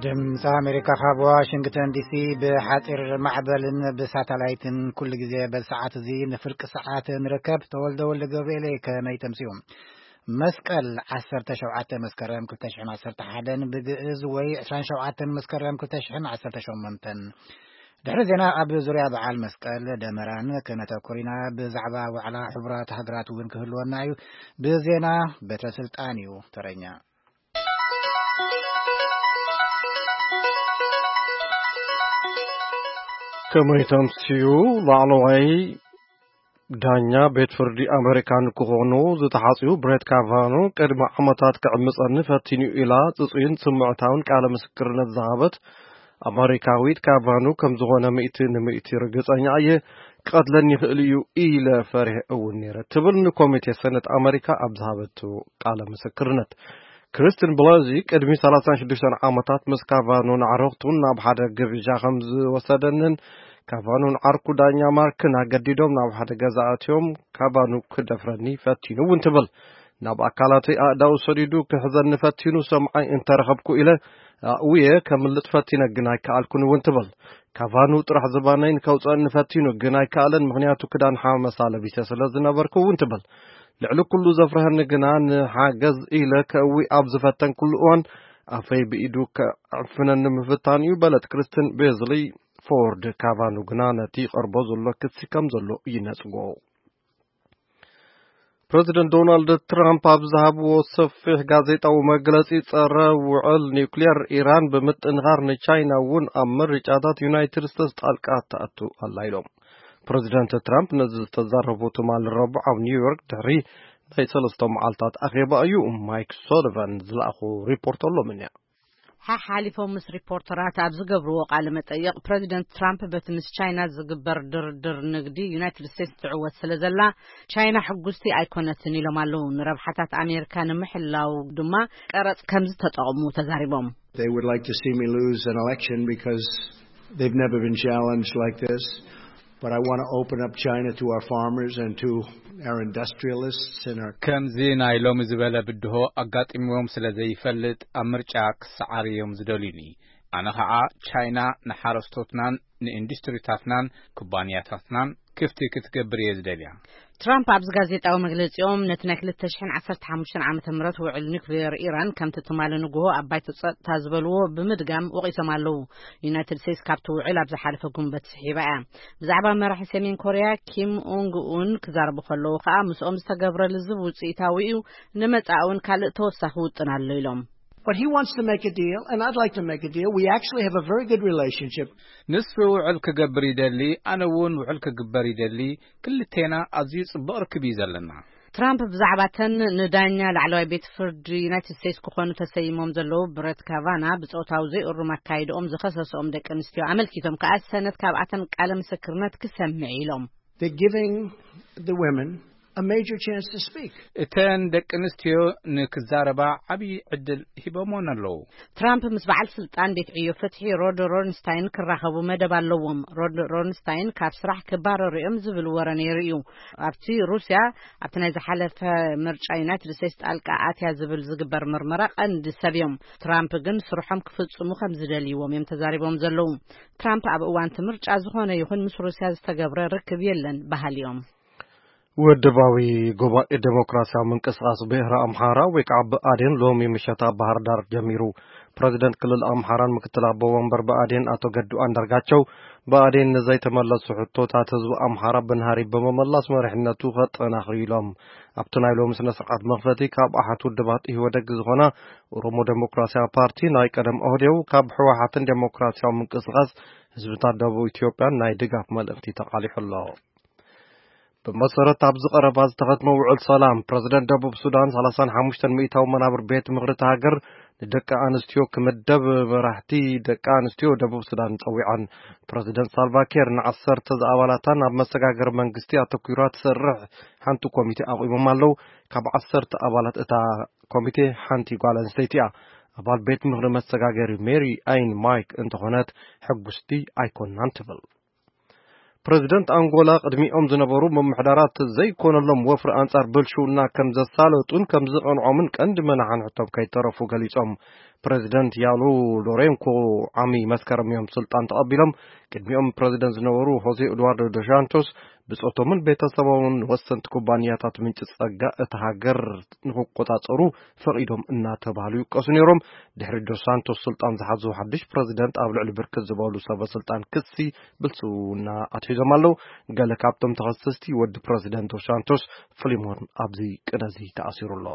ድምፂ ኣሜሪካ ካብ ዋሽንግተን ዲሲ ብሓፂር ማዕበልን ብሳተላይትን ኩሉ ግዜ በዚ ሰዓት እዚ ንፍርቂ ሰዓት ንርከብ። ተወልደ ወልደ ገብርኤል፣ ከመይ ተምስዩ? መስቀል ዓሰርተ ሸውዓተ መስከረም ክልተ ሽሕን ዓሰርተ ሓደን ብግእዝ ወይ ዕስራን ሸውዓተን መስከረም ክልተ ሽሕን ዓሰርተ ሸሞንተን። ድሕሪ ዜና ኣብ ዙርያ በዓል መስቀል ደመራን ክነተኩር ኢና። ብዛዕባ ዋዕላ ሕቡራት ሃገራት እውን ክህልወና እዩ። ብዜና ቤተ ስልጣን እዩ ተረኛ። ከመይ ተምስዩ? ላዕለዋይ ዳኛ ቤት ፍርዲ ኣመሪካ ንክኾኑ ዝተሓጽዩ ብሬት ካቫኖ ቅድሚ ዓመታት ክዕምጸኒ ፈቲኑ ኢላ ጽጹይን ስምዕታውን ቃለ ምስክርነት ዝሃበት ኣመሪካዊት ካቫኖ ከም ዝኾነ ሚእቲ ንሚእቲ ርግጸኛ እየ፣ ክቐትለኒ ይኽእል እዩ ኢለ ፈሪሐ እውን ነይረ ትብል ንኮሚቴ ሰነት ኣመሪካ ኣብ ዝሃበቱ ቃለ ምስክርነት። ክሪስትን ብላዚ ቅድሚ ሰላሳን ሽዱሽተን ዓመታት ምስ ካቫኖን ኣዕሩኽቱን ናብ ሓደ ግብዣ ከም ዝወሰደንን ካቫኖን ዓርኩ ዳኛ ማርክን ኣገዲዶም ናብ ሓደ ገዛ ኣትዮም ካቫኖ ክደፍረኒ ፈቲኑ እውን ትብል። ናብ ኣካላተይ ኣእዳው ሰዲዱ ክሕዘኒ ፈቲኑ ሰምዓይ እንተረኸብኩ ኢለ ኣእውየ ከምልጥ ፈቲነ ግን ኣይከኣልኩን እውን ትብል። ካቫኖ ጥራሕ ዝባነይ ንከውፀኒ ፈቲኑ ግን ኣይከኣለን፣ ምኽንያቱ ክዳን ሓመሳ ለቢሰ ስለ ዝነበርኩ እውን ትብል። ልዕሊ ኩሉ ዘፍርሀኒ ግና ንሓገዝ ኢለ ከእዊ ኣብ ዝፈተንኩሉ እዋን ኣፈይ ብኢዱ ከዕፍነኒ ምፍታን እዩ በለት ክሪስትን ቤዝሊ። ፎርድ ካቫኑ ግና ነቲ ይቐርቦ ዘሎ ክሲ ከም ዘሎ ይነጽጎ። ፕረዚደንት ዶናልድ ትራምፕ ኣብ ዝሃብዎ ሰፊሕ ጋዜጣዊ መግለጺ፣ ጸረ ውዕል ኒውክሌር ኢራን ብምጥንኻር ንቻይና እውን ኣብ ምርጫታት ዩናይትድ ስቴትስ ጣልቃ ትኣቱ ኣላ ኢሎም። ፕረዚደንት ትራምፕ ነዚ ዝተዛረቡ ትማሊ ረቡዕ ኣብ ኒውዮርክ ድሕሪ ናይ ሰለስተ መዓልታት ኣኼባ እዩ። ማይክ ሶሊቫን ዝለኣኹ ሪፖርት ኣሎ ምንያ። ሓሓሊፎም ምስ ሪፖርተራት ኣብ ዝገብርዎ ቃለ መጠይቕ፣ ፕረዚደንት ትራምፕ በቲ ምስ ቻይና ዝግበር ድርድር ንግዲ ዩናይትድ ስቴትስ ትዕወት ስለ ዘላ፣ ቻይና ሕጉስቲ ኣይኮነትን ኢሎም ኣለዉ። ንረብሓታት ኣሜሪካ ንምሕላው ድማ ቀረጽ ከም ዝተጠቕሙ ተዛሪቦም። They would like to see me lose an election because they've never been challenged like this. But I want to open up China to our farmers and to our industrialists and our ከምዚ ናይ ሎሚ ዝበለ ብድሆ ኣጋጢምዎም ስለ ዘይፈልጥ፣ ኣብ ምርጫ ክሰዓር እዮም ዝደልዩኒ። ኣነ ኸዓ ቻይና ንሓረስቶትናን ንኢንዱስትሪታትናን ኩባንያታትናን ክፍቲ ክትገብር እየ ዝደልያ። ትራምፕ ኣብዚ ጋዜጣዊ መግለጺኦም፣ ነቲ ናይ ክልተ ሽሕን ዓሰርተ ሓሙሽተን ዓመተ ምህረት ውዕል ኒውክሌር ኢራን ከምቲ ትማሊ ንግሆ ኣብ ባይቶ ጸጥታ ዝበልዎ ብምድጋም ወቒሶም ኣለዉ። ዩናይትድ ስቴትስ ካብቲ ውዕል ኣብ ዝሓለፈ ጉንበት ስሒባ እያ። ብዛዕባ መራሒ ሰሜን ኮርያ ኪም ኡንግ ኡን ክዛረቡ ከለዉ ከኣ፣ ምስኦም ዝተገብረ ልዝብ ውጽኢታዊ እዩ፣ ንመጻኢ እውን ካልእ ተወሳኺ ውጥን ኣሎ ኢሎም። But he wants to make a deal, and I'd like to make a deal. We actually have a very good relationship. ንሱ ውዕል ክገብር ይደሊ፣ ኣነ እውን ውዕል ክግበር ይደሊ። ክልቴና ኣዝዩ ጽቡቕ ርክብ እዩ ዘለና። ትራምፕ ብዛዕባ ተን ንዳኛ ላዕለዋይ ቤት ፍርዲ ዩናይትድ ስቴትስ ክኾኑ ተሰይሞም ዘለዉ ብረት ካቫና ብጾታዊ ዘይእሩም ኣካይድኦም ዝኸሰስኦም ደቂ ኣንስትዮ ኣመልኪቶም ከኣ፣ ሰነት ካብኣተን ቃለ ምስክርነት ክሰምዕ ኢሎም። They're giving the women a major chance to speak. እተን ደቂ ኣንስትዮ ንክዛረባ ዓብዪ ዕድል ሂቦምወን ኣለዉ። ትራምፕ ምስ በዓል ስልጣን ቤት ዕዮ ፍትሒ ሮድ ሮንስታይን ክራኸቡ መደብ ኣለዎም። ሮድ ሮንስታይን ካብ ስራሕ ክባረሩ እዮም ዝብል ወረ ነይሩ እዩ። ኣብቲ ሩስያ ኣብቲ ናይ ዝሓለፈ ምርጫ ዩናይትድ ስቴትስ ጣልቃ ኣትያ ዝብል ዝግበር ምርመራ ቀንዲ ሰብ እዮም። ትራምፕ ግን ስርሖም ክፍጽሙ ከም ዝደልይዎም እዮም ተዛሪቦም ዘለዉ። ትራምፕ ኣብ እዋን እቲ ምርጫ ዝኾነ ይኹን ምስ ሩስያ ዝተገብረ ርክብ የለን በሃሊ እዮም። ውድባዊ ጉባኤ ዴሞክራሲያዊ ምንቅስቃስ ብሄረ ኣምሓራ ወይ ከዓ ብኣዴን ሎሚ ምሸት ኣብ ባህር ዳር ጀሚሩ። ፕረዚደንት ክልል ኣምሓራን ምክትል ኣቦ ወንበር ብኣዴን ኣቶ ገዱ ኣንዳርጋቸው፣ ብኣዴን ንዘይተመለሱ ሕቶታት ህዝቢ ኣምሓራ ብናህሪ ብምምላስ መሪሕነቱ ከጠናኽር ኢሎም። ኣብቲ ናይ ሎሚ ስነ ስርዓት መኽፈቲ ካብ ኣሓት ውድባት ኢህወደግ ዝኾና ኦሮሞ ዴሞክራሲያዊ ፓርቲ፣ ናይ ቀደም ኦህዴው፣ ካብ ህወሓትን ዴሞክራሲያዊ ምንቅስቃስ ህዝብታት ደቡብ ኢትዮጵያን ናይ ድጋፍ መልእኽቲ ተቃሊሑ ኣሎ። ብመሰረት ኣብዚ ቀረባ ዝተኸትመ ውዕል ሰላም፣ ፕረዚደንት ደቡብ ሱዳን ሰላሳን ሓሙሽተን ሚእታዊ መናብር ቤት ምኽሪ እታ ሃገር ንደቂ ኣንስትዮ ክምደብ፣ መራሕቲ ደቂ ኣንስትዮ ደቡብ ሱዳን ጸዊዐን። ፕረዚደንት ሳልቫኪር ንዓሰርተ ዝኣባላታ ናብ መሰጋገሪ መንግስቲ ኣተኲራ ትሰርሕ ሓንቲ ኮሚቴ ኣቑሞም ኣለዉ። ካብ ዓሰርተ ኣባላት እታ ኮሚቴ ሓንቲ ጓል ኣንስተይቲ እያ። ኣባል ቤት ምኽሪ መሰጋገሪ ሜሪ ኣይን ማይክ እንተኾነት፣ ሕጉስቲ ኣይኮናን ትብል። ፕረዚደንት ኣንጎላ ቅድሚኦም ዝነበሩ ምምሕዳራት ዘይኮነሎም ወፍሪ ኣንጻር ብልሽውና ከም ዘሳለጡን ከም ዝቐንዖምን ቀንዲ መናሕንሕቶም ከይተረፉ ገሊጾም። ፕረዚደንት ያሉ ሎሬንኮ ዓሚ መስከረም እዮም ስልጣን ተቐቢሎም። ቅድሚኦም ፕረዚደንት ዝነበሩ ሆዜ ኤድዋርዶ ዶሻንቶስ ብጾቶምን ቤተሰቦምን ወሰንቲ ኩባንያታት ምንጪ ጸጋ እታ ሃገር ንክቆጻጸሩ ፈቒዶም እናተባህሉ ይውቀሱ ነይሮም። ድሕሪ ዶስ ሳንቶስ ስልጣን ዝሓዙ ሓድሽ ፕረዚደንት ኣብ ልዕሊ ብርክት ዝበሉ ሰበ ስልጣን ክሲ ብልሽውና ኣትሒዞም ኣለዉ። ገለ ካብቶም ተኸሰስቲ ወዲ ፕረዚደንት ዶስ ሳንቶስ ፍሊሞን ኣብዚ ቅነ እዚ ተኣሲሩ ኣሎ።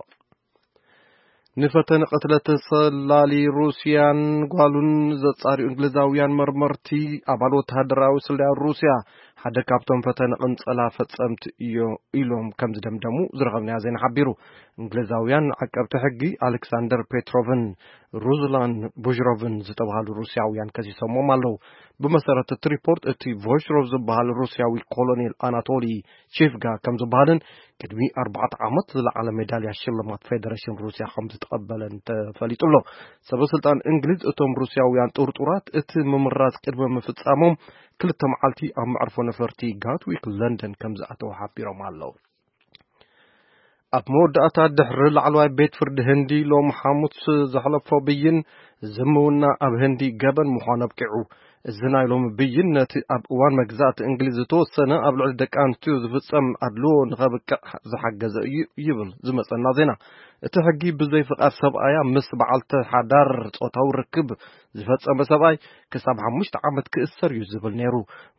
ንፈተነ ቅትለት ሰላሊ ሩስያን ጓሉን ዘጻርዩ እንግሊዛውያን መርመርቲ ኣባል ወተሃደራዊ ስለያ ሩስያ ሓደ ካብቶም ፈተነ ቅንጸላ ፈጸምቲ እዮ ኢሎም ከም ዝደምደሙ ዝረኸብናዮ ዜና ሓቢሩ። እንግሊዛውያን ዓቀብቲ ሕጊ ኣሌክሳንደር ፔትሮቭን ሩዝላን ቡሽሮቭን ዝተባህሉ ሩስያውያን ከሲሶሞም ኣለዉ። ብመሰረት እቲ ሪፖርት፣ እቲ ቮሽሮቭ ዝበሃል ሩስያዊ ኮሎኔል ኣናቶሊ ቺፍጋ ከም ዝበሃልን ቅድሚ ኣርባዕተ ዓመት ዝለዓለ ሜዳልያ ሽልማት ፌደሬሽን ሩስያ ከም ዝተቐበለን ተፈሊጡ ኣሎ። ሰበ ስልጣን እንግሊዝ እቶም ሩስያውያን ጥርጡራት እቲ ምምራዝ ቅድሚ ምፍጻሞም ክልተ መዓልቲ ኣብ መዕርፎ ነፈርቲ ጋትዊክ ለንደን ከም ዝኣተዉ ሓቢሮም ኣለዉ። ኣብ መወዳእታ ድሕሪ ላዕለዋይ ቤት ፍርዲ ህንዲ ሎም ሓሙስ ዘሕለፎ ብይን ዝምውና ኣብ ህንዲ ገበን ምዃኑ ኣብቂዑ። እዚ ናይ ሎሚ ብይን ነቲ ኣብ እዋን መግዛእቲ እንግሊዝ ዝተወሰነ ኣብ ልዕሊ ደቂ ኣንስትዮ ዝፍጸም ኣድልዎ ንኸብቅዕ ዝሓገዘ እዩ ይብል ዝመጸና ዜና። እቲ ሕጊ ብዘይ ፍቓድ ሰብኣያ ምስ በዓልቲ ሓዳር ጾታዊ ርክብ ዝፈጸመ ሰብኣይ ክሳብ ሓሙሽተ ዓመት ክእሰር እዩ ዝብል ነይሩ።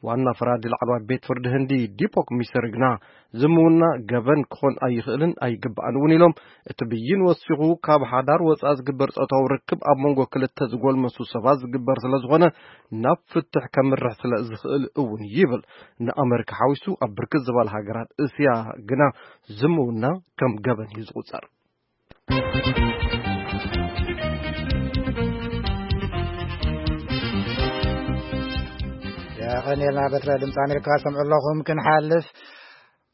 ዋና ፈራዲ ላዕለዋይ ቤት ፍርዲ ህንዲ ዲፖክ ሚሰር ግና ዝምውና ገበን ክኾን ኣይኽእልን ኣይግባእን እውን ኢሎም። እቲ ብይን ወሲኹ ካብ ሓዳር ወፃእ ዝግበር ጾታዊ ርክብ ኣብ መንጎ ክልተ ዝጎልመሱ ሰባት ዝግበር ስለ ዝኾነ ናብ ፍትሕ ከምርሕ ስለ ዝኽእል እውን ይብል። ንኣመሪካ ሓዊሱ ኣብ ብርክት ዝበላ ሃገራት እስያ ግና ዝምውና ከም ገበን እዩ ዝቑጸር። የቐንየልና በትረ ድምፂ ኣሜሪካ ሰምዑ ኣለኹም። ክንሓልፍ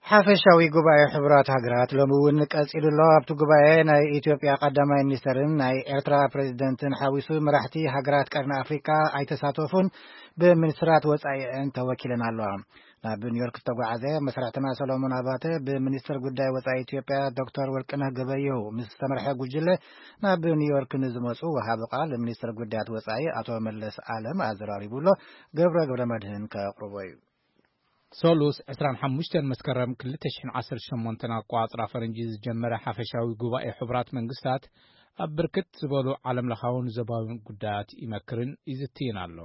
ሓፈሻዊ ጉባኤ ሕቡራት ሃገራት ሎሚ እውን ቀፂሉ ኣሎ። ኣብቲ ጉባኤ ናይ ኢትዮጵያ ቀዳማይ ሚኒስተርን ናይ ኤርትራ ፕሬዚደንትን ሓዊሱ መራሕቲ ሃገራት ቀርኒ ኣፍሪካ ኣይተሳተፉን፣ ብሚኒስትራት ወፃኢአን ተወኪለን ኣለዋ። ናብ ኒውዮርክ ዝተጓዓዘ መሰራሕትና ሰሎሞን ኣባተ ብሚኒስትር ጉዳይ ወፃኢ ኢትዮጵያ ዶክተር ወርቅነህ ገበየሁ ምስ ዝተመርሐ ጉጅለ ናብ ኒውዮርክ ንዝመፁ ወሃቢ ቃል ሚኒስትር ጉዳያት ወፃኢ ኣቶ መለስ ኣለም ኣዘራሪቡ ኣሎ። ገብረ ገብረ መድህን ከቕርቦ እዩ። ሶሉስ ዕስራን ሓሙሽተን መስከረም ክልተ ሽሕን ዓሰርተ ሸሞንተን ኣቋጽራ ፈረንጂ ዝጀመረ ሓፈሻዊ ጉባኤ ሕቡራት መንግስታት ኣብ ብርክት ዝበሉ ዓለምለኻውን ዞባውን ጉዳያት ይመክርን ይዝትይን ኣሎ።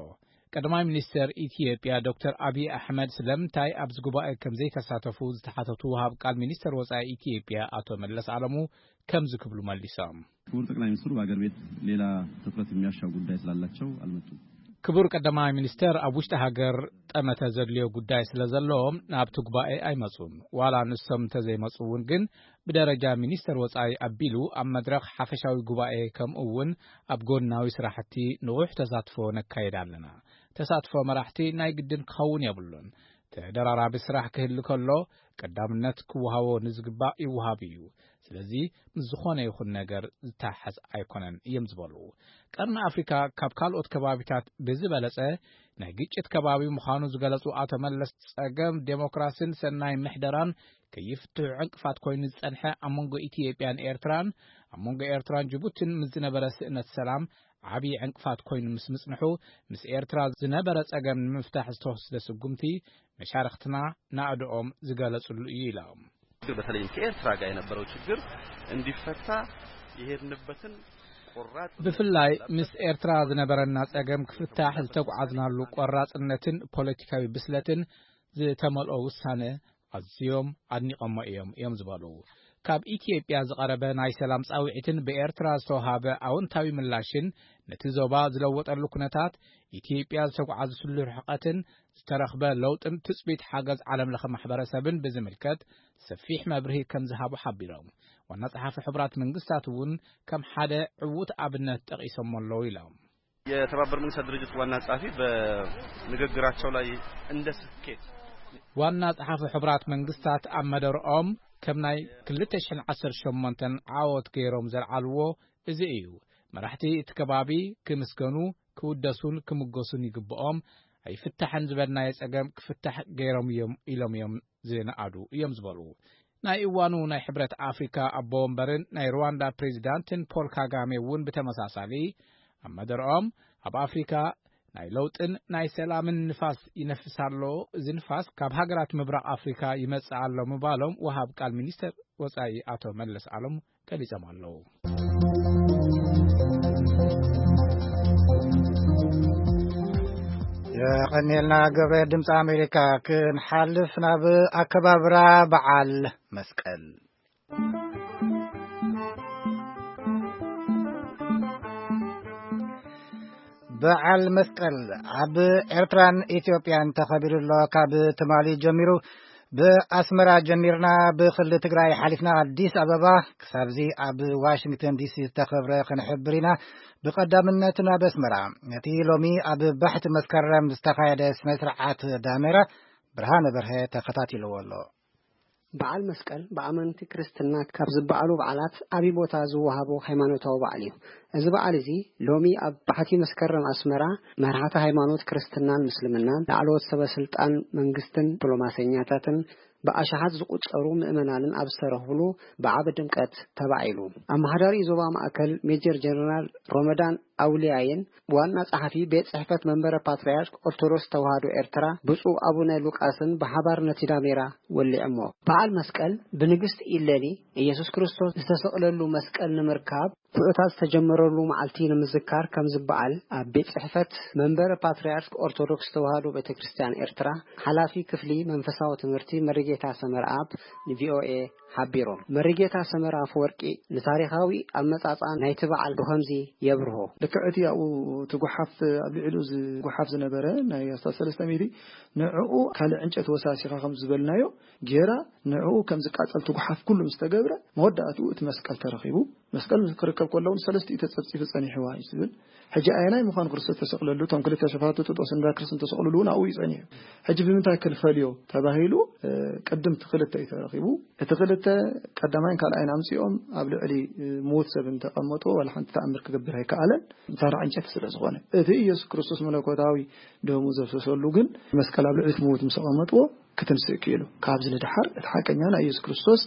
ቀዳማይ ሚኒስተር ኢትዮጵያ ዶክተር ኣብይ ኣሕመድ ስለምንታይ ኣብዚ ጉባኤ ከም ዘይተሳተፉ ዝተሓተቱ ወሃብ ቃል ሚኒስተር ወጻኢ ኢትዮጵያ ኣቶ መለስ ኣለሙ ከምዚ ክብሉ መሊሶም። ክቡር ጠቅላይ ሚኒስትሩ በአገር ቤት ሌላ ትኩረት የሚያሻው ጉዳይ ስላላቸው አልመጡም። ክቡር ቀዳማይ ሚኒስተር ኣብ ውሽጢ ሃገር ጠመተ ዘድልዮ ጉዳይ ስለ ዘለዎም ናብቲ ጉባኤ ኣይመጹን። ዋላ ንሶም እንተዘይመጹ እውን ግን ብደረጃ ሚኒስተር ወጻኢ ኣቢሉ ኣብ መድረኽ ሓፈሻዊ ጉባኤ ከምኡ እውን ኣብ ጎናዊ ስራሕቲ ንቑሕ ተሳትፎ ነካይድ ኣለና። ተሳትፎ መራሕቲ ናይ ግድን ክኸውን የብሉን። ተደራራቢ ስራሕ ክህሉ ከሎ ቀዳምነት ክወሃቦ ንዝግባእ ይወሃብ እዩ። ስለዚ ምስ ዝኾነ ይኹን ነገር ዝተሓሓዝ ኣይኮነን እዮም ዝበሉ። ቀርኒ ኣፍሪካ ካብ ካልኦት ከባቢታት ብዝበለጸ ናይ ግጭት ከባቢ ምዃኑ ዝገለጹ ኣቶ መለስ፣ ጸገም ዴሞክራሲን ሰናይ ምሕደራን ከይፍትሑ ዕንቅፋት ኮይኑ ዝጸንሐ ኣብ መንጎ ኢትዮጵያን ኤርትራን ኣብ መንጎ ኤርትራን ጅቡቲን ምስ ዝነበረ ስእነት ሰላም ዓብዪ ዕንቅፋት ኮይኑ ምስ ምጽንሑ፣ ምስ ኤርትራ ዝነበረ ጸገም ንምፍታሕ ዝተወስደ ስጉምቲ መሻርኽትና ናእድኦም ዝገለጽሉ እዩ ኢሎም። በተለይም ከኤርትራ ጋር የነበረው ችግር እንዲፈታ የሄድንበትን ቆራጥ ብፍላይ ምስ ኤርትራ ዝነበረና ጸገም ክፍታሕ ዝተጓዓዝናሉ ቆራጽነትን ፖለቲካዊ ብስለትን ዝተመልኦ ውሳነ ኣዝዮም ኣድኒቐሞ እዮም እዮም ዝበሉ። ካብ ኢትዮጵያ ዝቐረበ ናይ ሰላም ጻውዒትን ብኤርትራ ዝተዋሃበ ኣወንታዊ ምላሽን ነቲ ዞባ ዝለወጠሉ ኩነታት፣ ኢትዮጵያ ዝተጓዓዘትሉ ርሕቀትን ዝተረኽበ ለውጥን ትጽቢት ሓገዝ ዓለም ለኸ ማሕበረሰብን ብዝምልከት ሰፊሕ መብርሂ ከም ዝሃቡ ሓቢሮም። ዋና ጸሓፊ ሕቡራት መንግስታት እውን ከም ሓደ ዕዉት ኣብነት ጠቒሶሞ ኣለዉ ኢሎም። የተባበሩት መንግስታት ድርጅት ዋና ጸሐፊ በንግግራቸው ላይ እንደ ስኬት ዋና ጸሐፊ ሕቡራት መንግስታት ኣብ መደርኦም ከም ናይ ክልተ ሽሕን ዓሰርተ ሸሞንተን ዓወት ገይሮም ዘልዓልዎ እዚ እዩ። መራሕቲ እቲ ከባቢ ክምስገኑ፣ ክውደሱን ክምጎሱን ይግብኦም። ኣይፍታሕን ዝበልናዮ ጸገም ክፍታሕ ገይሮም እዮም ኢሎም እዮም ዝነኣዱ እዮም ዝበሉ። ናይ እዋኑ ናይ ሕብረት ኣፍሪካ ኣቦ ወንበርን ናይ ሩዋንዳ ፕሬዚዳንትን ፖል ካጋሜ እውን ብተመሳሳሊ ኣብ መደርኦም፣ ኣብ ኣፍሪካ ናይ ለውጥን ናይ ሰላምን ንፋስ ይነፍስ ኣሎ፣ እዚ ንፋስ ካብ ሃገራት ምብራቕ ኣፍሪካ ይመጽእ ኣሎ ምባሎም ወሃብ ቃል ሚኒስተር ወጻኢ ኣቶ መለስ ኣለም ገሊጾም ኣለዉ። የቐንየልና ገብረ። ድምፂ ኣሜሪካ። ክንሓልፍ ናብ ኣከባብራ በዓል መስቀል። በዓል መስቀል ኣብ ኤርትራን ኢትዮጵያን ተኸቢሩ ኣሎ። ካብ ትማሊ ጀሚሩ ብኣስመራ ጀሚርና ብክልል ትግራይ ሓሊፍና ኣዲስ ኣበባ ክሳብዚ ኣብ ዋሽንግተን ዲሲ ዝተኸብረ ክንሕብር ኢና። ብቐዳምነት ናብ ኣስመራ። ነቲ ሎሚ ኣብ ባሕቲ መስከረም ዝተኻየደ ስነ ስርዓት ዳሜራ ብርሃነ በርሀ ተኸታቲልዎ ኣሎ። በዓል መስቀል ብኣመንቲ ክርስትና ካብ ዝበዓሉ በዓላት ዓቢ ቦታ ዝወሃቦ ሃይማኖታዊ በዓል እዩ። እዚ በዓል እዚ ሎሚ ኣብ ባሕቲ መስከረም ኣስመራ መራሕቲ ሃይማኖት ክርስትናን ምስልምናን፣ ላዕለዎት ሰበ ስልጣን መንግስትን ዲፕሎማሰኛታትን ብኣሽሓት ዝቑጸሩ ምእመናንን ኣብ ዝተረኽብሉ ብዓቢ ድምቀት ተባዒሉ። ኣመሓዳሪ ዞባ ማእከል ሜጀር ጀነራል ሮመዳን ኣውልያይን ዋና ጸሓፊ ቤት ጽሕፈት መንበረ ፓትርያርክ ኦርቶዶክስ ተዋህዶ ኤርትራ ብፁዕ ኣቡነ ሉቃስን ብሓባር ነቲ ዳሜራ ወሊዖሞ። በዓል መስቀል ብንግስቲ ኢለኒ ኢየሱስ ክርስቶስ ዝተሰቕለሉ መስቀል ንምርካብ ጉዕታት ዝተጀመረሉ መዓልቲ ንምዝካር ከም ዝበዓል ኣብ ቤት ጽሕፈት መንበረ ፓትርያርክ ኦርቶዶክስ ተዋህዶ ቤተ ክርስቲያን ኤርትራ ሓላፊ ክፍሊ መንፈሳዊ ትምህርቲ መሪጌታ ሰመርኣብ ንቪኦኤ ሓቢሮም። መሪጌታ ሰመረ ኣፈወርቂ ንታሪኻዊ ኣመጻጽኣ ናይቲ በዓል ብኸምዚ የብርሆ። ልክዕ እቲ ኣብኡ እቲ ጓሓፍ፣ ኣብ ልዕሊኡ ዝ-፣ ጓሓፍ ዝነበረ ናይ ኣስታት ሰለስተ ሚእቲ፣ ንዕኡ ካልእ ዕንጨት ወሳሲኻ ከም ዝበልናዮ ጌራ፣ ንዕኡ ከም ዝቃጸል እቲ ጓሓፍ ኩሉ ምስ ተገብረ፣ መወዳእትኡ እቲ መስቀል ተረኺቡ። መስቀል ምስ ክርከብ ከሎ እውን ሰለስቲኡ ተጸብጺቡ ጸኒሕዋ እዩ ዝብል። ሕጂ ኣየናይ ምዃኑ ክርስቶስ ተሰቕለሉ፣ እቶም ክልተ ሸፋቱ ጥጦስን ዳክርስን ተሰቕልሉ እውን ኣብኡ እዩ ጸኒሑ። ሕጂ ብምንታይ ክንፈልዮ ተባሂሉ፣ እ፣ ቅድም እቲ ክልተ እዩ ተረኺቡ። እቲ ክልተ ቀዳማይን ካልኣይን ኣምጺኦም ኣብ ልዕሊ፣ እ፣ ምዉት ሰብ እንተቐመጥዎ ዋላ ሓንቲ ተኣምር ክገብር ኣይከኣለን፣ ተራ ዕንጨቲ ስለ ዝኾነ። እቲ ኢየሱስ ክርስቶስ መለኮታዊ ደሙ ዘፍሰሰሉ ግን መስቀል ኣብ ልዕሊ እቲ ምዉት ምስ ኣቐመጥዎ ክትንስእ ክኢሉ። ካብዚ ንደሓር እቲ ሓቀኛ ናይ ኢየሱስ ክርስቶስ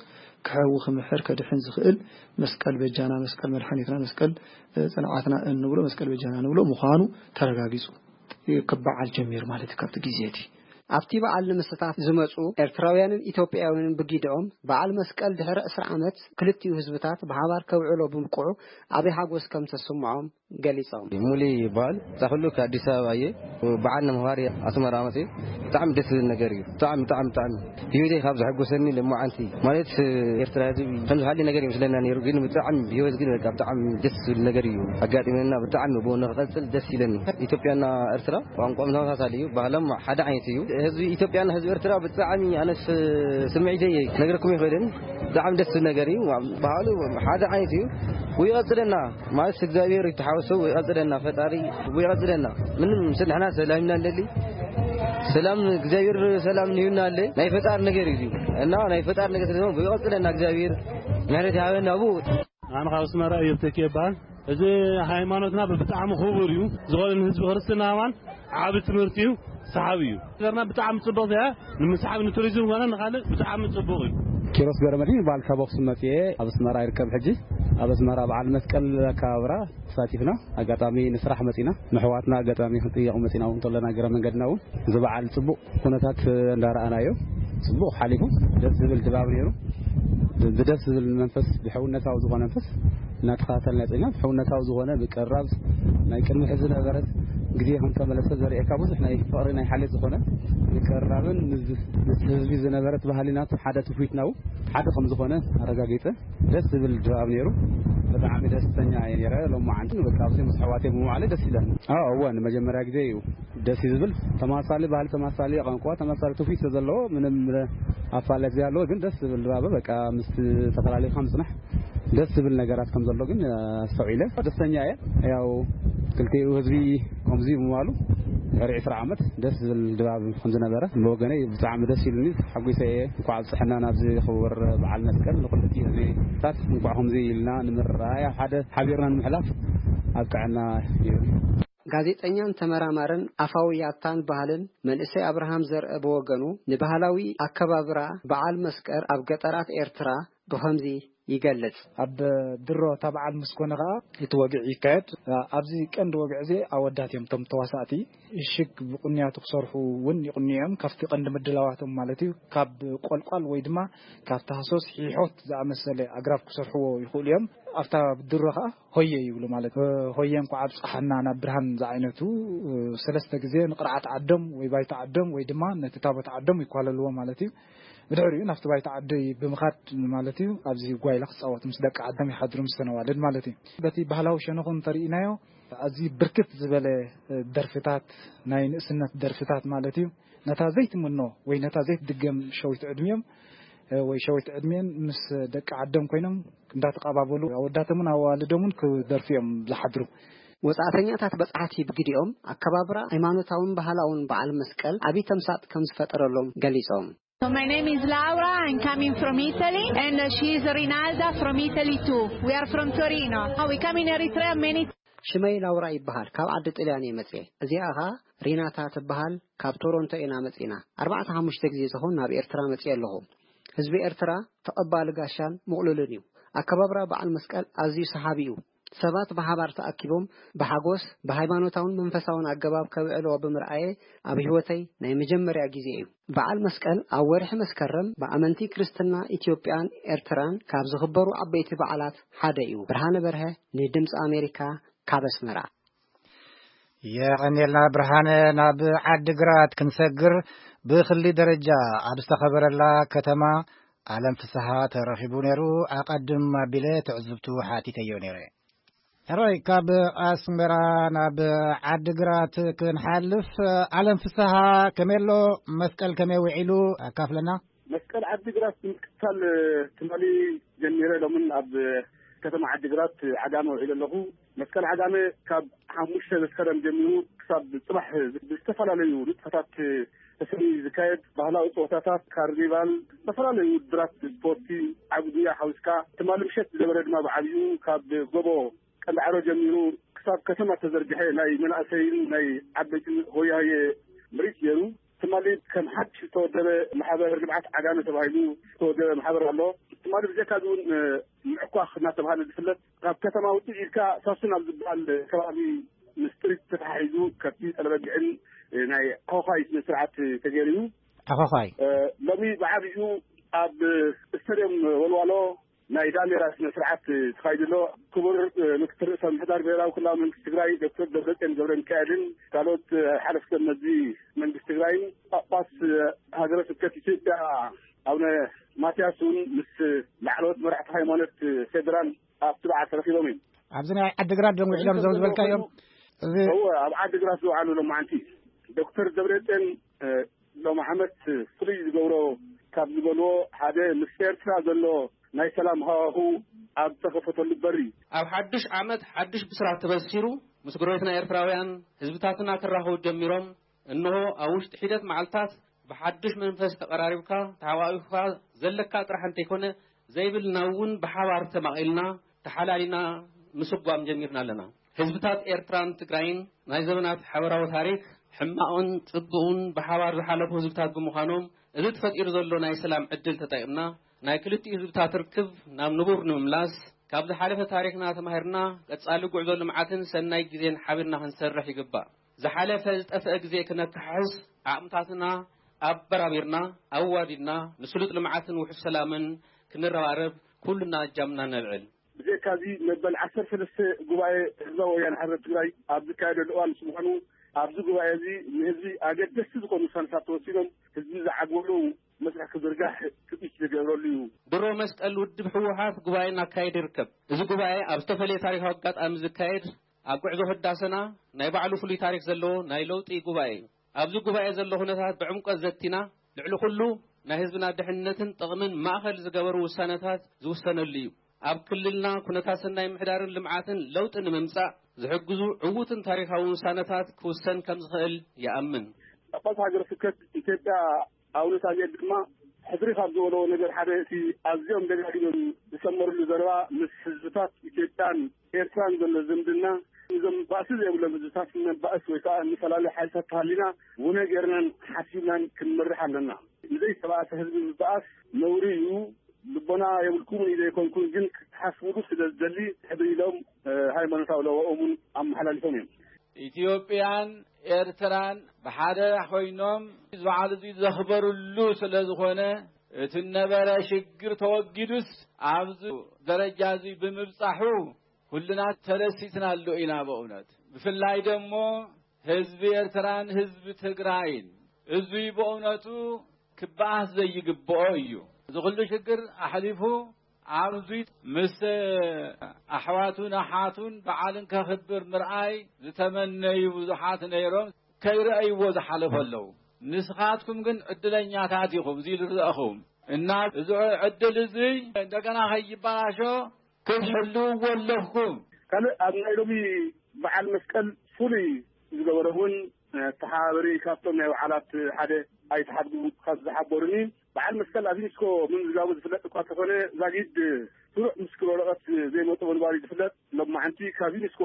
ክሕዊ፣ ክምሕር፣ ከድሕን ዝኽእል መስቀል በጃና፣ መስቀል መድሓኒትና፣ መስቀል፣ እ፣ ጽንዓትና እንብሎ፣ መስቀል በጃና ንብሎ ምዃኑ ተረጋጊጹ ክበዓል ጀሚሩ ማለት እዩ። ካብቲ ግዜ እቲ ኣብቲ በዓል ንምስታፍ ዝመጹ ኤርትራውያንን ኢትዮጵያውያንን ብጊድኦም በዓል መስቀል ድሕሪ ዕስራ ዓመት ክልቲኡ ህዝብታት ብሓባር ከብዕሎ ብምብቅዑ ዓቢ ሓጎስ ከም ተሰምዖም ገሊጾም። ሙሊ ይበሃል። እዛ ኩሉ ከኣዲስ ኣበባ እየ። በዓል ንምኽባር እየ ኣስመራ መፅየ። ብጣዕሚ ደስ ዝብል ነገር እዩ። ብጣዕሚ፣ ብጣዕሚ፣ ብጣዕሚ ህይወተይ ካብ ዘሐጎሰኒ ለማዓንቲ ማለት ኤርትራ ህዝቢ ከም ዝሃሊ ነገር ይመስለና ነይሩ፣ ግን ብጣዕሚ ህይወት ግን በቃ ብጣዕሚ ደስ ዝብል ነገር እዩ ኣጋጢመና። ብጣዕሚ ብኡ ንክቐፅል ደስ ይለኒ። ኢትዮጵያና ኤርትራ ቋንቋም ተመሳሳሊ እዩ፣ ባህሎም ሓደ ዓይነት እዩ። ህዝቢ ኢትዮጵያና ህዝቢ ኤርትራ ብጣዕሚ ኣነስ ስምዒተይ ክነግረኩም ይኽእልን። ብጣዕሚ ደስ ዝብል ነገር እዩ። ባህሉ ሓደ ዓይነት እዩ። ይቐፅለና ማለት እግዚኣብሔር ይተሓወሶ፣ ይቐፅለና ፈጣሪ፣ ይቐፅለና። ምንም ስ-፣ ንሕና ሰላም ኢና ንደሊ። ሰላም እግዚኣብሔር ሰላም ንህዩና ኣለ። ናይ ፈጣሪ ነገር እዩ። እና ናይ ፈጣሪ ነገር ስለዝኾነ ይቐፅለና እግዚኣብሔር ምሕረት ይሃበና ብኡ። ኣነ ካብ ኣስመራ እዮብ ተኪኤ ይበሃል። እዚ ሃይማኖትና ብጣዕሚ ክቡር እዩ። ዝኾነ ንህዝቢ ክርስትና ኣማን ዓቢ ትምህርቲ እዩ፣ ሰሓቢ እዩ። ሃገርና ብጣዕሚ ጽብቕቲ እያ። ንምስሓብ ንቱሪዝም ኮነ ንኻልእ ብጣዕሚ ጽቡቕ እዩ። ኪሮስ ገረመድህን ይበሃል፣ ካብ ኣኽሱም መጽየ ኣብ ኣስመራ ይርከብ። ሕጂ ኣብ ኣስመራ በዓል መስቀል ኣከባብራ ተሳቲፍና። ኣጋጣሚ ንስራሕ መጺና፣ ንሕዋትና ኣጋጣሚ ክንጥየቕ መጺና እውን እንተለና እግረ መንገድና እውን እዚ በዓል ጽቡቕ ኩነታት እንዳረኣናዮ ጽቡቕ ሓሊፉ፣ ደስ ዝብል ድባብ ነይሩ። ብ-፣ ብደስ ዝብል መንፈስ፣ ብሕውነታዊ ዝኾነ መንፈስ እናተኸታተልና ጸኒሕና። ብሕውነታዊ ዝኾነ ምቅርራብ፣ ናይ ቅድሚ ሕዚ ዝነበረት ግዜ ከም ተመለሰ ዘርእየካ ብዙሕ ናይ ፍቕሪ ናይ ሓልዮት ዝኾነ ምቅርራብን ምስ፣ ምስ ህዝቢ ዝነበረት ባህሊና ሓደ ትውፊትና እውን ሓደ ከም ዝኾነ ኣረጋጊጸ። ደስ ዝብል ድባብ ነይሩ። ብጣዕሚ ደስተኛ እየ ነይረ። ሎማዓንቲ በቃ ኣብዚ ምስ ኣሕዋተይ ብምውዓለይ ደስ ኢለኒ። ኣዎ፣ እወ፣ ንመጀመርያ ግዜ እዩ። ደስ እዩ ዝብል። ተማሳሊ ባህሊ፣ ተማሳሊ ቋንቋ፣ ተማሳሊ ትውፊት ዘለዎ ምንም ኣፋለት ዘይሃለዎ ግን ደስ ዝብል ድባብ፣ በቃ ምስ ተፈላሊኻ ምጽናሕ ደስ ዝብል ነገራት ከም ዘሎ ግን ኣስተውዒለ። ደስተኛ እየ። ያው ክልቲኡ ህዝቢ ከምዚ ምባሉ ድሕሪ ዕስራ ዓመት ደስ ዝብል ድባብ ከም ዝነበረ ብወገነይ ብጣዕሚ ደስ ኢሉኒ፣ ተሓጒሰ እየ። እንኳዕ ኣብጽሐና ናብዚ ክቡር በዓል መስቀል። ንኹልቲ ህዝብታት እንኳዕ ከምዚ ኢልና ንምርኣይ፣ ኣብ ሓደ ሓቢርና ንምሕላፍ ኣብቅዐና ይብል። ጋዜጠኛን ተመራማርን ኣፋዊ ያታን ባህልን መንእሰይ ኣብርሃም ዘርአ ብወገኑ፣ ንባህላዊ ኣከባብራ በዓል መስቀል ኣብ ገጠራት ኤርትራ ብኸምዚ ይገልጽ። ኣብ ድሮ እታ በዓል ምስ ኮነ ከኣ እቲ ወግዒ ይካየድ። ኣብዚ ቀንዲ ወግዒ እዚ ኣወዳት እዮም እቶም ተዋሳእቲ። ሽግ ብቕንያቱ ክሰርሑ እውን ይቕንዩ እዮም። ካብቲ ቀንዲ ምድላዋቶም ማለት እዩ፣ ካብ ቆልቋል ወይ ድማ ካብ ታህሶስ ሒሖት ዝኣመሰለ ኣግራብ ክሰርሕዎ ይኽእሉ እዮም። ኣብታ ድሮ ከኣ ሆየ ይብሉ ማለት፣ ሆየ እንኳዕ ኣብጽሓና ናብ ብርሃን ዝዓይነቱ፣ ሰለስተ ግዜ ንቕርዓት ዓዶም ወይ ባይታ ዓዶም ወይ ድማ ነቲ ታቦት ዓዶም ይኳለልዎ ማለት እዩ። ብድሕሪኡ ናብቲ ባይታ ዓዲ ብምኻድ ማለት እዩ፣ ኣብዚ ጓይላ ክጻወቱ ምስ ደቂ ዓዶም ይሓድሩ፣ ምስ ተነዋልድ ማለት እዩ። በቲ ባህላዊ ሸነኹ እንተርኢናዮ፣ ኣዝዩ ብርክት ዝበለ ደርፍታት፣ ናይ ንእስነት ደርፍታት ማለት እዩ። ነታ ዘይትምኖ ወይ ነታ ዘይትድገም ሸዊት ዕድሚኦም ወይ ሸዊት ዕድሚኦም ምስ ደቂ ዓዶም ኮይኖም እንዳተቐባበሉ ኣወዳቶምን ኣዋልዶምን ክደርፉ እዮም ዝሓድሩ። ወጻእተኛታት በጻሕቲ ብግዲኦም፣ ኣከባብራ ሃይማኖታውን ባህላውን በዓል መስቀል ዓቢ ተምሳጥ ከም ዝፈጠረሎም ገሊጾም። So my name is Laura. I'm coming from Italy, and uh, she is Rinalda from Italy too. We are from Torino. Oh, we come in Eritrea many. ሽመይ ላውራ ይበሃል። ካብ ዓዲ ጥልያን እየ መጽኤ። እዚኣ ኸኣ ሪናታ ትበሃል። ካብ ቶሮንቶ ኢና መጺና። ኣርባዕተ ሓሙሽተ ግዜ ዝኸውን ናብ ኤርትራ መጽኤ ኣለኹ። ህዝቢ ኤርትራ ተቐባሊ ጋሻን ምቕሉልን እዩ። ኣከባብራ በዓል መስቀል ኣዝዩ ሰሓቢ እዩ። ሰባት ብሓባር ተኣኪቦም ብሓጎስ ብሃይማኖታውን መንፈሳውን ኣገባብ ከብዕልዎ ብምርኣየ፣ ኣብ ህይወተይ ናይ መጀመርያ ግዜ እዩ። በዓል መስቀል ኣብ ወርሒ መስከረም ብኣመንቲ ክርስትና ኢትዮጵያን ኤርትራን ካብ ዝኽበሩ ዓበይቲ በዓላት ሓደ እዩ። ብርሃነ በርሀ ንድምፂ ኣሜሪካ ካብ ኣስመራ። የቐንየልና ብርሃነ። ናብ ዓድግራት ክንሰግር፣ ብክሊ ደረጃ ኣብ ዝተኸበረላ ከተማ ኣለም ፍስሃ ተረኺቡ ነይሩ። ኣቐድም ኣቢለ ትዕዝብቱ ሓቲተዮ ነይረ። ሕራይ፣ ካብ ኣስመራ ናብ ዓድግራት ክንሓልፍ፣ ኣለም ፍስሃ ከመይ ኣሎ? መስቀል ከመይ ውዒሉ? ኣካፍለና። መስቀል ዓድግራት ምክታል ትማሊ ጀሚረ፣ ሎምን ኣብ ከተማ ዓድግራት ዓጋመ ውዒለ ኣለኹ። መስቀል ዓጋመ ካብ ሓሙሽተ መስከረም ጀሚሩ ክሳብ ጽባሕ ብዝተፈላለዩ ንጥፈታት ተሰንዩ ዝካየድ ባህላዊ ጸወታታት፣ ካርኒቫል፣ ዝተፈላለዩ ውድድራት ስፖርቲ፣ ዓቢ ጉያ ሓዊስካ፣ ትማሊ ምሸት ዝነበረ ድማ ብዓብዩ ካብ ጎቦ ቀንዳዕሮ ጀሚሩ ክሳብ ከተማ ተዘርግሐ ናይ መናእሰይን ናይ ዓበይትን ሆያሆየ ምርኢት ገይሩ። ትማሊ ከም ሓድሽ ዝተወደበ ማሕበር ልምዓት ዓጋመ ተባሂሉ ዝተወደበ ማሕበር ኣሎ። ትማሊ ብዘካ እዚ እውን ምዕኳኽ እናተባሃለ ዝፍለጥ፣ ካብ ከተማ ውፅእ ኢልካ ሳሱን ኣብ ዝበሃል ከባቢ ምስ ጥሪት ተተሓሒዙ ከብቲ፣ ጠለበጊዕን ናይ ኾዃይ ስነ ስርዓት ተገይሩ እዩ። ተኾዃይ። ሎሚ ብዓብዩ ኣብ ስታድዮም ወልዋሎ ናይ ዳሜራ ስነ ስርዓት ተኻይዱ ኣሎ። ክቡር ምክትል ርእሰ ምምሕዳር ብሄራዊ ክልላዊ መንግስቲ ትግራይ ዶክተር ደብረፅዮን ገብረ ሚካኤልን ካልኦት ሓለፍቲ መዚ መንግስቲ ትግራይን ጳጳስ ሃገረ ስብከት ኢትዮጵያ ኣቡነ ማትያስ እውን ምስ ላዕለዎት መራሕቲ ሃይማኖት ፌደራል ኣብቲ በዓል ተረኺቦም እዮም። ኣብዚ ናይ ዓድግራት ዶም ውዒሎም እዞም ዝበልካዮም? እዚ እወ፣ ኣብ ዓድግራት ዝወዓሉ ሎማዓንቲ ዶክተር ደብረፅዮን ሎሚ ዓመት ፍሉይ ዝገብሮ ካብ ዝበልዎ ሓደ ምስ ኤርትራ ዘሎ ናይ ሰላም ሃዋሁ ኣብ ተኸፈተሉ በሪ። ኣብ ሓድሽ ዓመት ሓድሽ ብስራት ተበሲሩ፣ ምስ ጎረቤትና ኤርትራውያን ህዝብታትና ክራኸቡ ጀሚሮም። እንሆ ኣብ ውሽጢ ሒደት መዓልታት ብሓድሽ መንፈስ ተቐራሪብካ ተሓቋቒፍካ ዘለካ ጥራሕ እንተይኮነ ዘይብልና እውን ብሓባር ተማቒልና ተሓላሊና ምስጓም ጀሚርና ኣለና። ህዝብታት ኤርትራን ትግራይን ናይ ዘመናት ሓበራዊ ታሪኽ፣ ሕማቕን ጽቡቕን ብሓባር ዝሓለፉ ህዝብታት ብምዃኖም፣ እዚ ተፈጢሩ ዘሎ ናይ ሰላም ዕድል ተጠቒምና ናይ ክልቲኡ ህዝብታት ርክብ ናብ ንቡር ንምምላስ፣ ካብ ዝሓለፈ ታሪኽና ተማሂርና ቀጻሊ ጉዕዞ ልምዓትን ሰናይ ግዜን ሓቢርና ክንሰርሕ ይግባእ። ዝሓለፈ ዝጠፍአ ግዜ ክነከሓሕስ ዓቕምታትና ኣበራቢርና ኣዋዲድና ንስሉጥ ልምዓትን ውሑስ ሰላምን ክንረባረብ ኩልና እጃምና ነልዕል። ብዘይካዚ መበል ዓሰርተ ሰለስተ ጉባኤ ህዝባዊ ወያነ ሓርነት ትግራይ ኣብ ዝካየደሉ እዋን ምስ ምዃኑ፣ ኣብዚ ጉባኤ እዚ ንህዝቢ ኣገደስቲ ዝኾኑ ውሳነታት ተወሲኖም ህዝቢ ዝዓግበሉ መስርሕ ክዝርጋሕ ትፅቢት ዝገብረሉ እዩ። ድሮ መስቀል ውድብ ህወሓት ጉባኤ እናካየደ ይርከብ። እዚ ጉባኤ ኣብ ዝተፈለየ ታሪካዊ ኣጋጣሚ ዝካየድ፣ ኣብ ጉዕዞ ህዳሰና ናይ ባዕሉ ፍሉይ ታሪክ ዘለዎ ናይ ለውጢ ጉባኤ እዩ። ኣብዚ ጉባኤ ዘሎ ኩነታት ብዕምቆት ዘቲና፣ ልዕሊ ኩሉ ናይ ህዝብና ድሕነትን ጥቕምን ማእኸል ዝገበሩ ውሳነታት ዝውሰነሉ እዩ። ኣብ ክልልና ኩነታት ሰናይ ምሕዳርን ልምዓትን ለውጢ ንምምጻእ ዝሕግዙ ዕዉትን ታሪኻውን ውሳነታት ክውሰን ከም ዝኽእል ይኣምን። ጳጳስ ሃገረ ስብከት ኢትዮጵያ ኣቡነ ሳሙኤል ድማ ሕድሪ ካብ ዝበልዎ ነገር ሓደ እቲ ኣዝዮም ደጋጊሞም ዝሰመርሉ ዘረባ ምስ ህዝብታት ኢትዮጵያን ኤርትራን ዘሎ ዝምድና እዞም ባእሲ ዘይብሎም ህዝብታት ንባእስ ወይ ከዓ ንፈላለዩ ሓይልታት ተሃሊና ውነ ጌርናን ሓሲብናን ክንመርሕ ኣለና። ንዘይተባእሰ ህዝቢ ምባኣስ ነውሪ እዩ። ልቦና የብልኩምን እዩ ዘይኮንኩን፣ ግን ክትሓስቡሉ ስለ ዝደሊ ሕድሪ ኢሎም ሃይማኖታዊ ለዋኦም እውን ኣመሓላሊፎም እዮም። ኢትዮጵያን ኤርትራን ብሓደ ኮይኖም ዝበዓሉ እዚ ዘኽበሩሉ ስለ ዝኾነ፣ እቲ ነበረ ሽግር ተወጊዱስ ኣብዚ ደረጃ እዚ ብምብጻሑ ኩልና ተደሲትናሉ ኢና። በእውነት ብፍላይ ደሞ ህዝቢ ኤርትራን ህዝቢ ትግራይን እዙይ በእውነቱ ክበኣስ ዘይግብኦ እዩ። እዚ ኩሉ ሽግር ኣሕሊፉ ኣብዚ ምስ ኣሕዋቱን ኣሓቱን በዓልን ከኽብር ምርኣይ ዝተመነዩ ብዙሓት ነይሮም፣ ከይረኣይዎ ዝሓለፉ ኣለዉ። ንስኻትኩም ግን ዕድለኛታት ኢኹም፣ እዚ ዝረኣኹም እና እዚ ዕድል እዚ እንደገና ከይበላሾ ክትሕልውዎ ኣለኩም። ካልእ ኣብ ናይ ሎሚ በዓል መስቀል ፍሉይ ዝገበረ እውን ተሓባበሪ ካብቶም ናይ በዓላት ሓደ ኣይተሓድጉ ካብ ዝሓበሩኒ በዓል መስቀል ኣብ ዩኒስኮ ምምዝጋቡ ዝፍለጥ እኳ ተኾነ ዛጊድ ስሩዕ ምስክር ወረቐት ዘይመጡ ምንባሩ ዝፍለጥ። ሎማዓንቲ ካብ ዩኒስኮ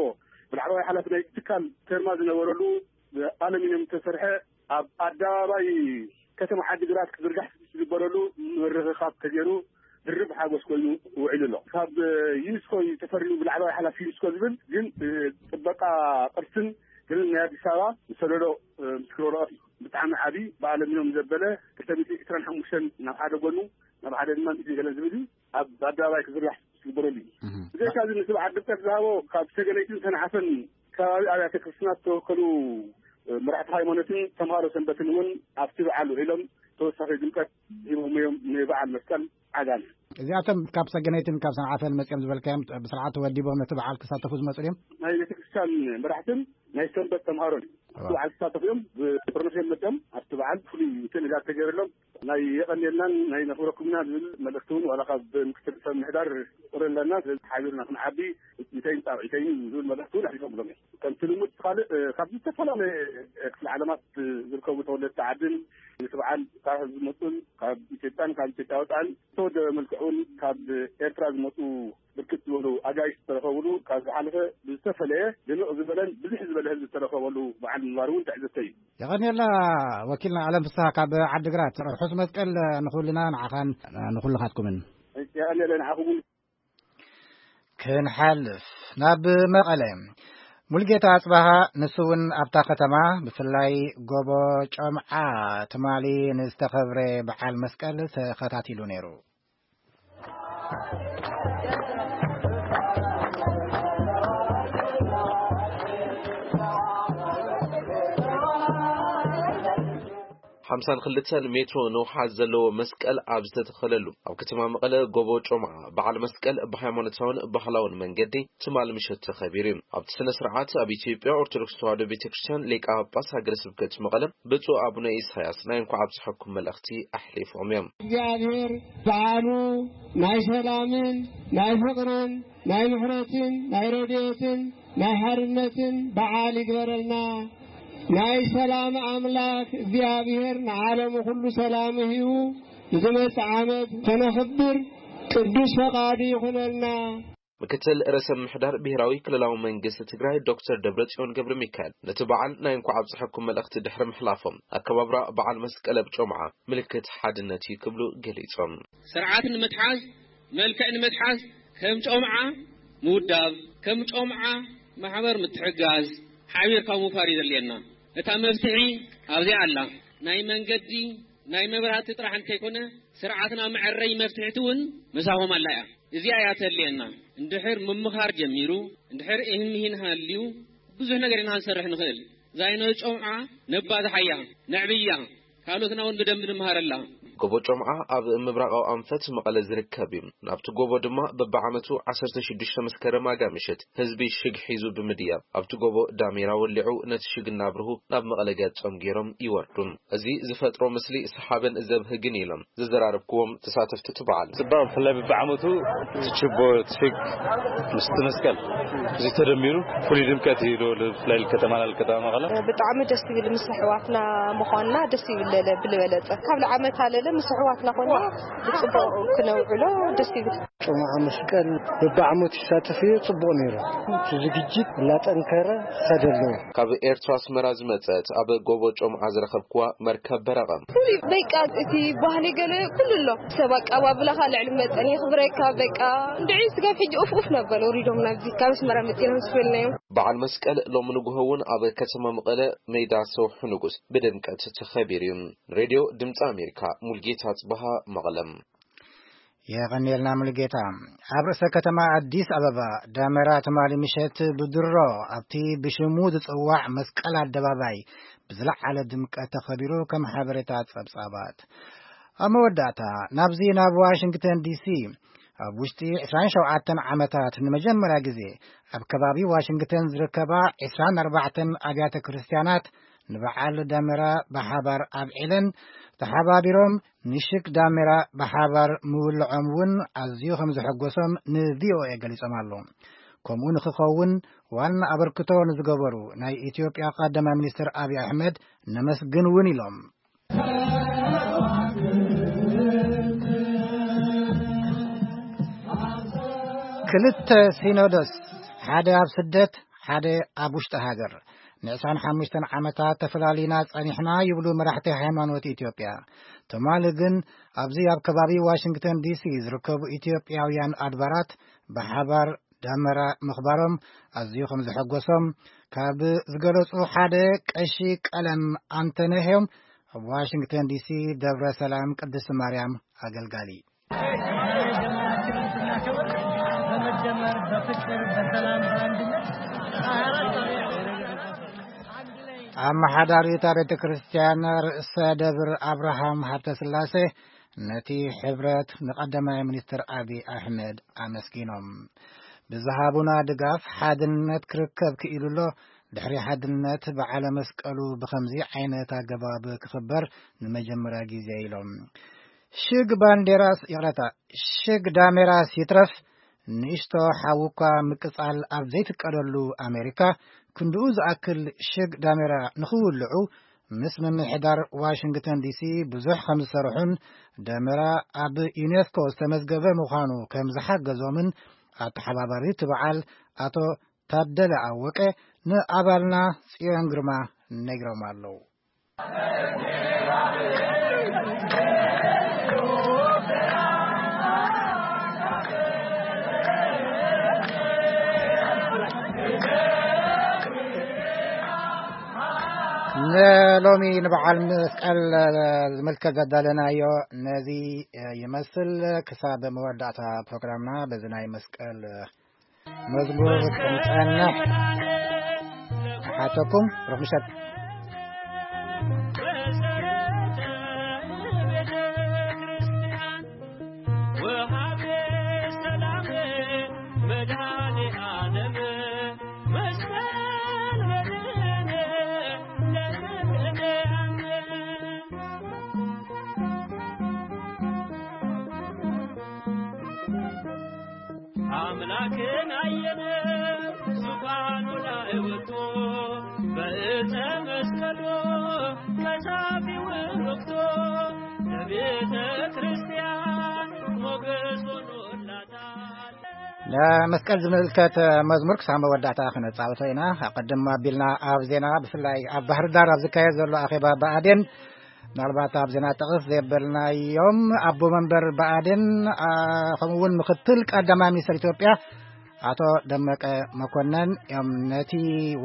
ብላዕለዋይ ሓላፊ ናይ ትካል ተርማ ዝነበረሉ ኣለሚንየም ዝተሰርሐ ኣብ ኣደባባይ ከተማ ዓዲግራት ክዝርጋሕ ዝግበረሉ ምርኽኻብ ተገይሩ ድርብ ሓጎስ ኮይኑ ውዒሉ ኣሎ። ካብ ዩኒስኮ እዩ ተፈሪሙ ብላዕለዋይ ሓላፊ ዩኒስኮ ዝብል ግን ጥበቃ ቅርስን ግን ናይ ኣዲስ ኣበባ ዝሰደዶ ምስክር ወረቐት እዩ። ብጣዕሚ ዓቢ ብኣለሚኖም ዘበለ ክልተ ሚእቲ ዕስራን ሓሙሽተን ናብ ሓደ ጎኑ ናብ ሓደ ድማ ሚእቲ ገለን ዝብል እዩ ኣብ ኣደባባይ ክዝርጋሕ ዝግበረሉ እዩ። ብዘይካ እዚ ንስብዓት ድምቀት ዝሃቦ ካብ ሰገነይትን ሰንዓፈን ከባቢ ኣብያተ ክርስትና ዝተወከሉ መራሕቲ ሃይማኖትን ተምሃሮ ሰንበትን እውን ኣብቲ በዓል ውዒሎም ተወሳኺ ድምቀት ሂቦም እዮም ንበዓል መስቀል ዓጋመ። እዚኣቶም ካብ ሰገነይትን ካብ ሰንዓፈን መፅኦም ዝበልካዮም ብስርዓት ተወዲቦም ነቲ በዓል ክሳተፉ ዝመፁ ድዮም? ናይ ቤተክርስትያን መራሕትን ናይ ሰንበት ተምሃሮን ኣብቲ በዓል ክሳተፉ እዮም። ብጥርንፍ እዮም መፅኦም ኣብቲ በዓል ፍሉይ እንትን እዛ ተገይረሎም ናይ የቐንየልናን ናይ ነኽብረኩምና ዝብል መልእኽቲ እውን ዋላ ካብ ምክትል ሰብ ምሕዳር ቁረ ኣለና። ስለዚ ሓቢርና ክንዓቢ ኢተይን ጣብዒተይን ዝብል መልእኽቲ እውን ኣሕሊፎምሎም እዮም። ከምቲ ልሙድ ካልእ ካብ ዝተፈላለየ ክፍለ ዓለማት ዝርከቡ ተወለድቲ ዓድን እቲ በዓል ካብ ህዝቢ ዝመፁን ካብ ኢትዮጵያን ካብ ኢትዮጵያ ወፃእን ዝተወደበ መልክዕ እውን ካብ ኤርትራ ዝመፁ ብርክት ዝበሉ ኣጋይሽ ዝተረኸብሉ ካብ ዝሓለፈ ብዝተፈለየ ድምቕ ዝበለን ብዝሕ ዝበለ ህዝቢ ዝተረኸበሉ በዓል ምንባሩ እውን ትዕዝብተይ እዩ። የቐንየልና ወኪልና ኣለም ፍስሃ ካብ ዓዲግራት። ርሑስ መስቀል ንኹልና ንዓኻን ንኹልኻትኩምን። የቐንየለ ንዓኹም እውን። ክንሓልፍ ናብ መቐለ። ሙልጌታ ኣጽባሃ ንሱ እውን ኣብታ ከተማ ብፍላይ ጎቦ ጮምዓ ትማሊ ንዝተኸብረ በዓል መስቀል ተኸታቲሉ ነይሩ። ሓምሳን ክልተን ሜትሮ ንውሓት ዘለዎ መስቀል ኣብ ዝተተኸለሉ ኣብ ከተማ መቐለ ጎቦ ጮምዓ በዓል መስቀል ብሃይማኖታውን ባህላውን መንገዲ ትማል ምሸት ተኸቢሩ እዩ። ኣብቲ ስነ ስርዓት ኣብ ኢትዮጵያ ኦርቶዶክስ ተዋህዶ ቤተ ክርስቲያን ሊቀ ጳጳስ ሃገረ ስብከት መቐለ ብፁዕ ኣቡነ ኢሳያስ ናይ እንኳዕ ኣብጽሐኩም መልእኽቲ ኣሕሊፎም እዮም። እግዚኣብሔር በዓሉ ናይ ሰላምን ናይ ፍቕርን ናይ ምሕረትን ናይ ረድኤትን ናይ ሓርነትን በዓል ይግበረልና። ናይ ሰላም ኣምላክ እግዚኣብሔር ንዓለሙ ኩሉ ሰላም ይህቡ ንዝመጽእ ዓመት ከነኽብር ቅዱስ ፈቃዱ ይኹነልና። ምክትል ርእሰ ምምሕዳር ብሄራዊ ክልላዊ መንግስቲ ትግራይ ዶክተር ደብረጽዮን ገብረ ሚካኤል ነቲ በዓል ናይ እንኳዕ ኣብጽሐኩም መልእኽቲ ድሕሪ ምሕላፎም ኣከባብራ በዓል መስቀል ኣብ ጮምዓ ምልክት ሓድነት እዩ ክብሉ ገሊጾም። ስርዓት ንምትሓዝ መልክዕ ንምትሓዝ ከም ጮምዓ ምውዳብ ከም ጮምዓ ማሕበር ምትሕጋዝ ሓቢርካ ምውፋር እዩ ዘድልየና። እታ መፍትሒ ኣብዚኣ ኣላ። ናይ መንገዲ ናይ መብራህቲ ጥራሕ እንተይኮነ ስርዓትና መዐረይ መፍትሕቲ እውን ምሳኹም ኣላ እያ። እዚኣ እያ ተድልየና። እንድሕር ምምኻር ጀሚሩ እንድሕር እህንሂን ሃልዩ ብዙሕ ነገር ኢና ክንሰርሕ ንኽእል። ዛይኖ ጨውዓ ነባዝሓያ ነዕብያ ካልኦትና እውን ብደንብ ንምሃረላ። ጎቦ ጮምዓ ኣብ ምብራቓዊ ኣንፈት መቐለ ዝርከብ እዩ። ናብቲ ጎቦ ድማ በብዓመቱ ዓሰርተ ሽዱሽተ መስከረም ኣጋ ምሽት ህዝቢ ሽግ ሒዙ ብምድያብ ኣብቲ ጎቦ ዳሜራ ወሊዑ ነቲ ሽግ እናብርሁ ናብ መቐለ ገጾም ገይሮም ይወርዱ። እዚ ዝፈጥሮ ምስሊ ሰሓብን ዘብህግን ኢሎም ዘዘራረብክዎም ተሳተፍቲ እቲ በዓል። ጽባቕ ብፍላይ በብዓመቱ እቲ ችቦ፣ እቲ ሽግ ምስቲ መስቀል እዚ ተደሚሩ ፍሉይ ድምቀት እዩ ዶ ብፍላይ ከተማና ከተማ መቐለ። ብጣዕሚ ደስ ይብል ምስ ኣሕዋትና ምዃንና ደስ ይብል ለለ ብልበለጸ ካብ ለዓመት ኣለለ ምስ ኣሕዋትና ኮና ብጽቡቕ ክነውዕሎ ደስ ይብል። ጾመ መስቀል በብዓመቱ ይሳተፍ እየ፣ ጽቡቕ ነይሩ። እቲ ዝግጅት እናጠንከረ ይኸደ ኣለዎ። ካብ ኤርትራ ኣስመራ ዝመጸት ኣብ ጎቦ ጮምዓ ዝረኸብክዋ መርከብ በረቐ። ፍሉይ በቃ እቲ ባህሊ ገለ ኩሉ ኣሎ። ሰብ ኣቀባብላኻ ልዕሊ መጠን የኽብረካ። በቃ እንድዒ ስጋብ ሕጂ ኡፍ ኡፍ ነበር ወሪዶም ናብዚ ካብ ኣስመራ መጺና ምስ በልናዮም። በዓል መስቀል ሎሚ ንግሆ እውን ኣብ ከተማ መቐለ ሜዳ ሰውሒ ንጉስ ብድምቀት ተኸቢሩ እዩ። ሬድዮ ድምፂ ኣሜሪካ፣ ሙልጌታ ጽበሃ፣ መቐለም። የቐንየልና ሙሉጌታ። ኣብ ርእሰ ከተማ ኣዲስ ኣበባ ዳመራ ትማሊ ምሸት ብድሮ ኣብቲ ብሽሙ ዝጽዋዕ መስቀል ኣደባባይ ብዝለዓለ ድምቀት ተኸቢሩ፣ ከም ሓበሬታ ጸብጻባት። ኣብ መወዳእታ ናብዚ ናብ ዋሽንግተን ዲሲ ኣብ ውሽጢ ዕስራን ሸውዓተን ዓመታት ንመጀመርያ ግዜ ኣብ ከባቢ ዋሽንግተን ዝርከባ ዕስራን ኣርባዕተን ኣብያተ ክርስትያናት ንበዓል ዳመራ ብሓባር ኣብዒለን ተሓባቢሮም ንሽግ ዳሜራ ብሓባር ምውልዖም እውን ኣዝዩ ከም ዘሐጎሶም ንቪኦኤ ገሊጾም ኣለዉ። ከምኡ ንክኸውን ዋና ኣበርክቶ ንዝገበሩ ናይ ኢትዮጵያ ቀዳማይ ሚኒስትር ኣብይ ኣሕመድ ነመስግን እውን ኢሎም። ክልተ ሲኖዶስ፣ ሓደ ኣብ ስደት፣ ሓደ ኣብ ውሽጢ ሃገር፣ ንዕስራን ሓሙሽተን ዓመታት ተፈላሊና ጸኒሕና ይብሉ መራሕቲ ሃይማኖት ኢትዮጵያ። ትማሊ ግን ኣብዚ ኣብ ከባቢ ዋሽንግተን ዲሲ ዝርከቡ ኢትዮጵያውያን ኣድባራት ብሓባር ዳመራ ምኽባሮም ኣዝዩ ከም ዘሐጎሶም ካብ ዝገለጹ ሓደ ቀሺ ቀለም ኣንተነህ እዮም። ኣብ ዋሽንግተን ዲሲ ደብረ ሰላም ቅድስቲ ማርያም ኣገልጋሊ። በመደመር፣ በፍቅር፣ በሰላም፣ በአንድነት አመሓዳሪት ቤተ ክርስቲያን ርእሰ ደብር ኣብርሃም ሃብተ ስላሴ ነቲ ሕብረት ንቀዳማይ ሚኒስትር ኣቢ ኣሕመድ ኣመስጊኖም። ብዝሃቡና ድጋፍ ሓድነት ክርከብ ክኢሉ ኣሎ። ድሕሪ ሓድነት በዓለ መስቀሉ ብኸምዚ ዓይነት ኣገባብ ክኽበር ንመጀመርያ ግዜ ኢሎም። ሽግ ባንዴራስ፣ ይቕረታ፣ ሽግ ዳሜራስ ይትረፍ፣ ንእሽቶ ሓዊ እኳ ምቅጻል ኣብ ዘይፍቀደሉ ኣሜሪካ፣ ክንድኡ ዝኣክል ሽግ ዳሜራ ንኽውልዑ ምስ ምምሕዳር ዋሽንግተን ዲሲ ብዙሕ ከም ዝሰርሑን፣ ደመራ ኣብ ዩኔስኮ ዝተመዝገበ ምዃኑ ከም ዝሓገዞምን ኣተሓባባሪ እቲ በዓል ኣቶ ታደለ ኣወቀ ንኣባልና ጽዮን ግርማ ነጊሮም ኣለዉ። ንሎሚ ንበዓል መስቀል ዝምልከት ዘዳለናዮ ነዚ ይመስል። ክሳብ መወዳእታ ፕሮግራምና በዚ ናይ መስቀል መዝሙር ክንጸንሕ እሓተኩም። ሩኽ ምሸት። ኣምላክን ኣየለ ዙፋኑ ላይ ወጥቶ በእፀ መስቀሉ ተሳቢውን ወቅቶ ለቤተ ክርስቲያን ሞገስ ሆኖላታል። ንመስቀል ዝምልከት መዝሙር ክሳብ መወዳእታ ክነጻውቶ ኢና። ኣቐድም ኣቢልና ኣብ ዜና፣ ብፍላይ ኣብ ባህር ዳር ኣብ ዝካየድ ዘሎ ኣኼባ ብኣዴን፣ ምናልባት ኣብ ዜና ጠቕስ ዘበልናዮም ኣቦ መንበር ብኣዴን፣ ኣ፣ ከምኡ እውን ምክትል ቀዳማይ ሚኒስትር ኢትዮጵያ ኣቶ ደመቀ መኮነን እዮም ነቲ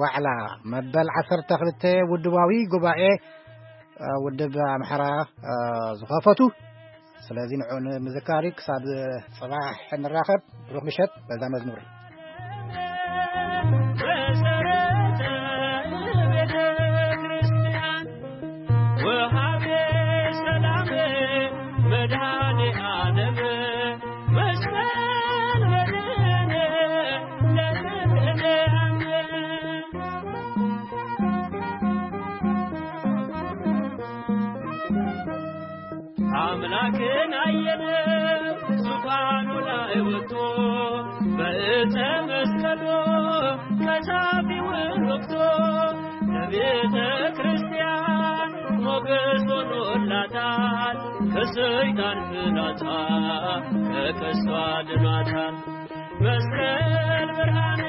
ዋዕላ መበል ዓሰርተ ክልተ ውድባዊ ጉባኤ፣ ኣ፣ ውድብ ኣምሓራ፣ ኣ፣ ዝኸፈቱ። ስለዚ ንዑ ንምዝካር እዩ። ክሳብ ጽባሕ ንራኸብ። ብሩኽ ምሸት። በዛ መዝሙር። መሰረተ ቤተ ክርስቲያን ወሃቤ ሰላም መድኃኔ ዓለም መስቀል በደነ ለዘለዓለም። አምላክን አየነ ዙፋኑ ላይ ወጥቶ በእፀ መስቀሉ ከሳቢውን ወቅቶ ለቤተ ክርስቲያን ሞገስ ሆኖላታል። ሰይጣን ፍላጻ ተከስቶ ኣድኗታል። መስቀል ብርሃን